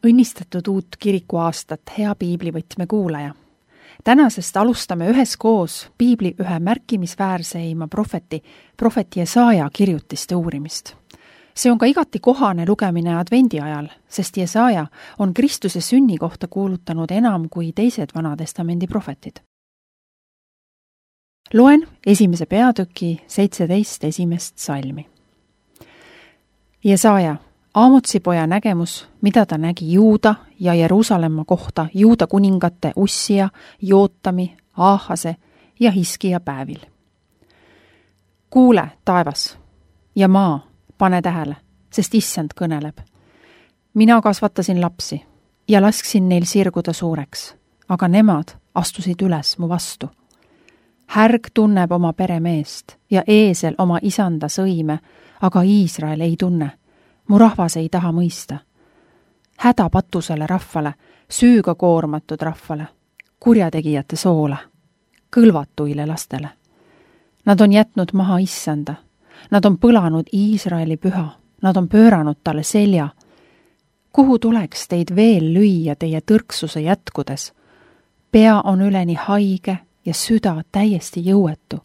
Õnnistatud uut kirikuaastat, hea piiblivõtme kuulaja! Tänasest alustame üheskoos piibli ühe märkimisväärseima prohveti Jesaja kirjutiste uurimist. See on ka igati kohane lugemine advendi ajal, sest Jesaja on Kristuse sünni kohta kuulutanud enam kui teised Vanatestamendi prohvetid. Loen 1. peatüki 17 esimest salmi. Jesaja, Aamotsi poja nägemus, mida ta nägi Juuda ja Jeruusalemma kohta Juuda kuningate Ussia, Jootami, Aahase ja Hiskia päevil. Kuule, taevas, ja maa, pane tähele, sest Issand kõneleb. Mina kasvatasin lapsi ja lasksin neil sirguda suureks, aga nemad astusid üles mu vastu. Härg tunneb oma peremeest ja eesel oma isanda sõime, aga Iisrael ei tunne. Mu rahvas ei taha mõista. Häda patusele rahvale, süüga koormatud rahvale, kurjategijate soole, kõlvatuile lastele. Nad on jätnud maha Issanda, nad on põlanud Iisraeli püha, nad on pööranud talle selja. Kuhu tuleks teid veel lüüa teie tõrksuse jätkudes? Pea on üleni haige ja süda täiesti jõuetu.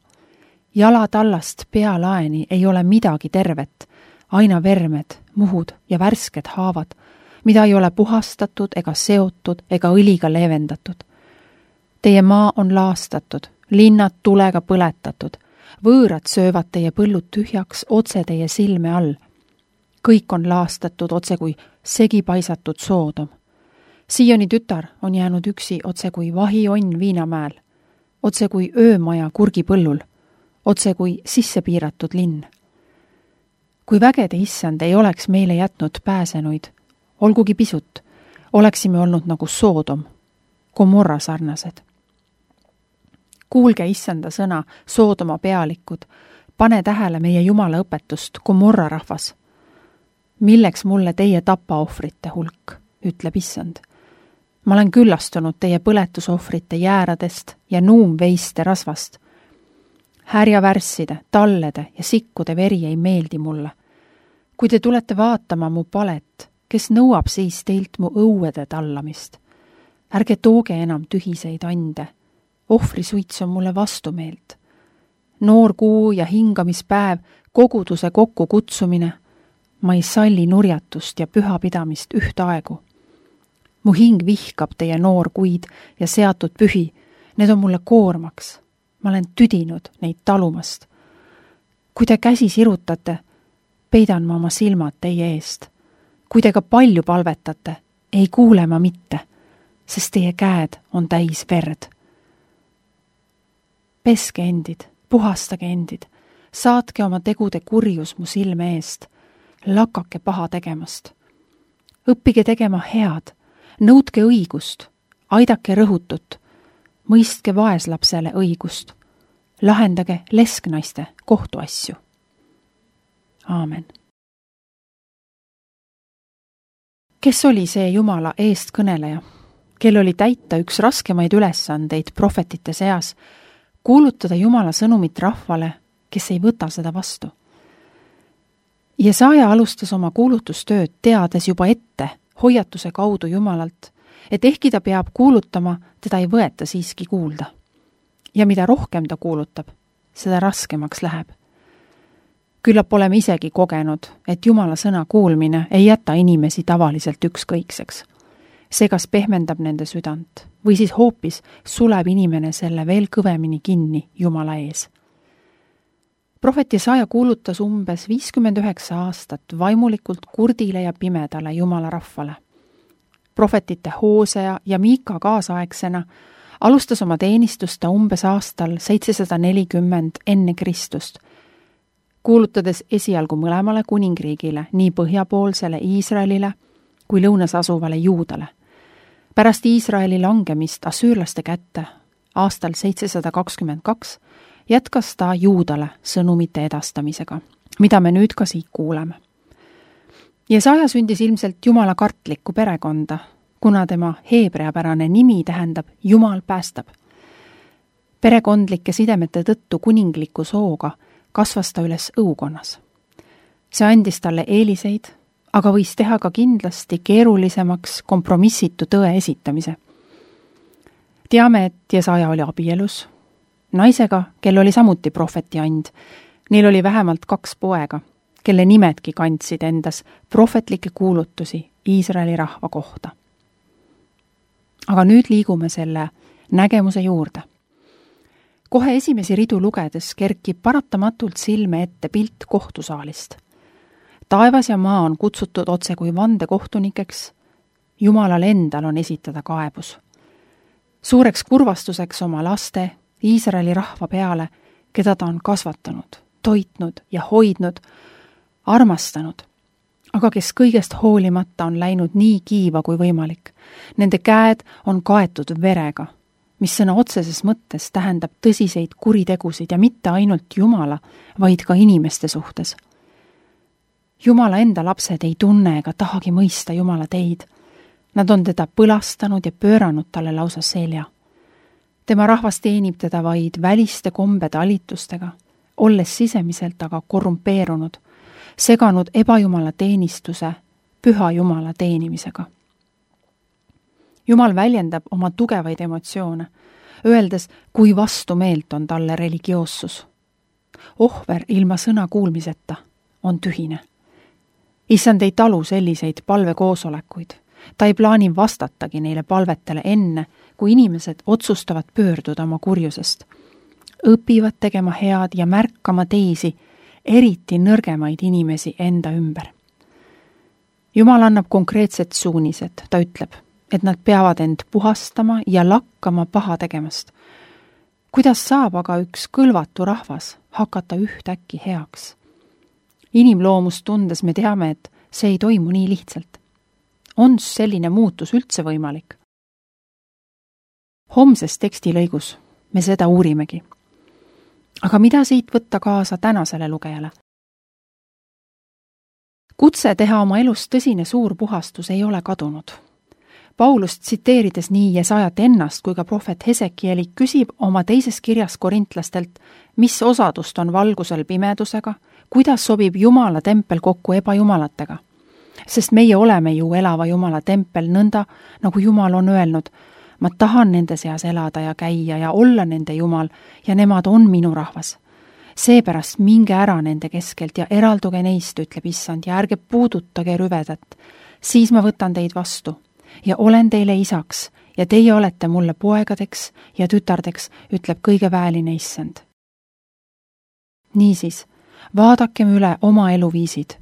Jalatallast pealaeni ei ole midagi tervet, aina vermed, muhud ja värsked haavad, mida ei ole puhastatud ega seotud ega õliga leevendatud. Teie maa on laastatud, linnad tulega põletatud, võõrad söövad teie põllud tühjaks otse teie silme all. Kõik on laastatud otse kui segipaisatud Soodom. Sioni tütar on jäänud üksi otse kui vahionn Viinamäel, otse kui öömaja kurgipõllul, otse kui sissepiiratud linn. Kui vägede Issand ei oleks meile jätnud pääsenuid, olgugi pisut, oleksime olnud nagu Soodom, Gomorra sarnased. Kuulge Issanda sõna, Soodoma pealikud, pane tähele meie Jumala õpetust, Gomorra rahvas. Milleks mulle teie tapaohvrite hulk, ütleb Issand. Ma olen küllastunud teie põletusohvrite jääradest ja nuumveiste rasvast. Härjavärsside, tallede ja sikkude veri ei meeldi mulle. Kui te tulete vaatama mu palet, kes nõuab siis teilt mu õuede tallamist? Ärge tooge enam tühiseid ande. Ohvrisuits on mulle vastumeelt. Noor kuu ja hingamispäev, koguduse kokku kutsumine. Ma ei salli nurjatust ja pühapidamist ühtaegu. Mu hing vihkab teie noorkuid ja seatud pühi. Need on mulle koormaks. Ma olen tüdinud neid talumast. Kui te käsi sirutate, peidan ma oma silmad teie eest. Kui te ka palju palvetate, ei kuule ma mitte, sest teie käed on täis verd. Peske endid, puhastage endid, saatke oma tegude kurjus mu silme eest, lakake paha tegemast. Õppige tegema head, nõudke õigust, aidake rõhutut, mõistke vaeslapsele õigust. Lahendage lesknaiste kohtuasju. Aamen. Kes oli see Jumala eestkõneleja, kel oli täita üks raskemaid ülesandeid prohvetite seas, kuulutada Jumala sõnumit rahvale, kes ei võta seda vastu? Jesaja alustas oma kuulutustööd teades juba ette hoiatuse kaudu Jumalalt, et ehkki ta peab kuulutama, teda ei võeta siiski kuulda. Ja mida rohkem ta kuulutab, seda raskemaks läheb. Küllap oleme isegi kogenud, et Jumala sõna kuulmine ei jäta inimesi tavaliselt ükskõikseks. See kas pehmendab nende südant või siis hoopis suleb inimene selle veel kõvemini kinni Jumala ees. Prohvet Jesaja kuulutas umbes 59 aastat vaimulikult kurdile ja pimedale Jumala rahvale. Prohvetite Hoosea ja Miika kaasaegsena alustas oma teenistust ta umbes aastal 740 enne Kristust, kuulutades esialgu mõlemale kuningriigile, nii põhjapoolsele Iisraelile kui lõunas asuvale Juudale. Pärast Iisraeli langemist asüürlaste kätte aastal 722 jätkas ta Juudale sõnumite edastamisega, mida me nüüd ka siit kuuleme. Jesaja sündis ilmselt Jumala kartlikku perekonda, kuna tema heebreapärane nimi tähendab Jumal päästab. Perekondlike sidemete tõttu kuningliku sooga kasvas ta üles õukonnas. See andis talle eeliseid, aga võis teha ka kindlasti keerulisemaks kompromissitu tõe esitamise. Teame, et Jesaja oli abielus naisega, kel oli samuti prohveti and. Neil oli vähemalt 2 poega, kelle nimedki kandsid endas prohvetlikke kuulutusi Iisraeli rahva kohta. Aga nüüd liigume selle nägemuse juurde. Kohe esimesi ridu lugedes kerkib paratamatult silme ette pilt kohtusaalist. Taevas ja maa on kutsutud otse kui vandekohtunikeks, Jumalal endal on esitada kaebus. Suureks kurvastuseks oma laste, Iisraeli rahva peale, keda ta on kasvatanud, toitnud ja hoidnud, armastanud, aga kes kõigest hoolimata on läinud nii kiiva kui võimalik. Nende käed on kaetud verega, mis sõna otseses mõttes tähendab tõsiseid kuritegusid ja mitte ainult Jumala, vaid ka inimeste suhtes. Jumala enda lapsed ei tunne ega tahagi mõista Jumala teid. Nad on teda põlastanud ja pööranud talle lausa selja. Tema rahvas teenib teda vaid väliste kombetalitustega, olles sisemiselt aga korrumpeerunud, seganud ebajumala teenistuse püha Jumala teenimisega. Jumal väljendab oma tugevaid emotsioone, öeldes, kui vastumeelt on talle religioossus. Ohver ilma sõna kuulmiseta on tühine. Issand ei talu selliseid palvekoosolekuid. Ta ei plaani vastatagi neile palvetele enne, kui inimesed otsustavad pöörduda oma kurjusest. Õpivad tegema head ja märkama teisi, eriti nõrgemaid inimesi enda ümber. Jumal annab konkreetsed suunised, ta ütleb, et nad peavad end puhastama ja lakkama paha tegemast. Kuidas saab aga üks kõlvatu rahvas hakata ühtäkki heaks? Inimloomust tundes me teame, et see ei toimu nii lihtsalt. On selline muutus üldse võimalik? Homses tekstilõigus me seda uurimegi. Aga mida siit võtta kaasa tänasele lugejale? Kutse teha oma elus tõsine suur puhastus ei ole kadunud. Paulust tsiteerides nii Jesajat ennast kui ka prohvet Hesekieli küsib oma teises kirjas korintlastelt, mis osadust on valgusel pimedusega, kuidas sobib Jumala tempel kokku ebajumalatega. Sest meie oleme ju elava Jumala tempel nõnda, nagu Jumal on öelnud, ma tahan nende seas elada ja käia ja olla nende Jumal ja nemad on minu rahvas. Seepärast minge ära nende keskelt ja eralduge neist, ütleb Issand, ja ärge puudutage rüvedat. Siis ma võtan teid vastu ja olen teile isaks ja teie olete mulle poegadeks ja tütardeks, ütleb kõige väeline Issand. Niisiis, vaadakem üle oma eluviisid,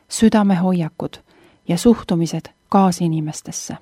südamehoiakud ja suhtumised kaasinimestesse.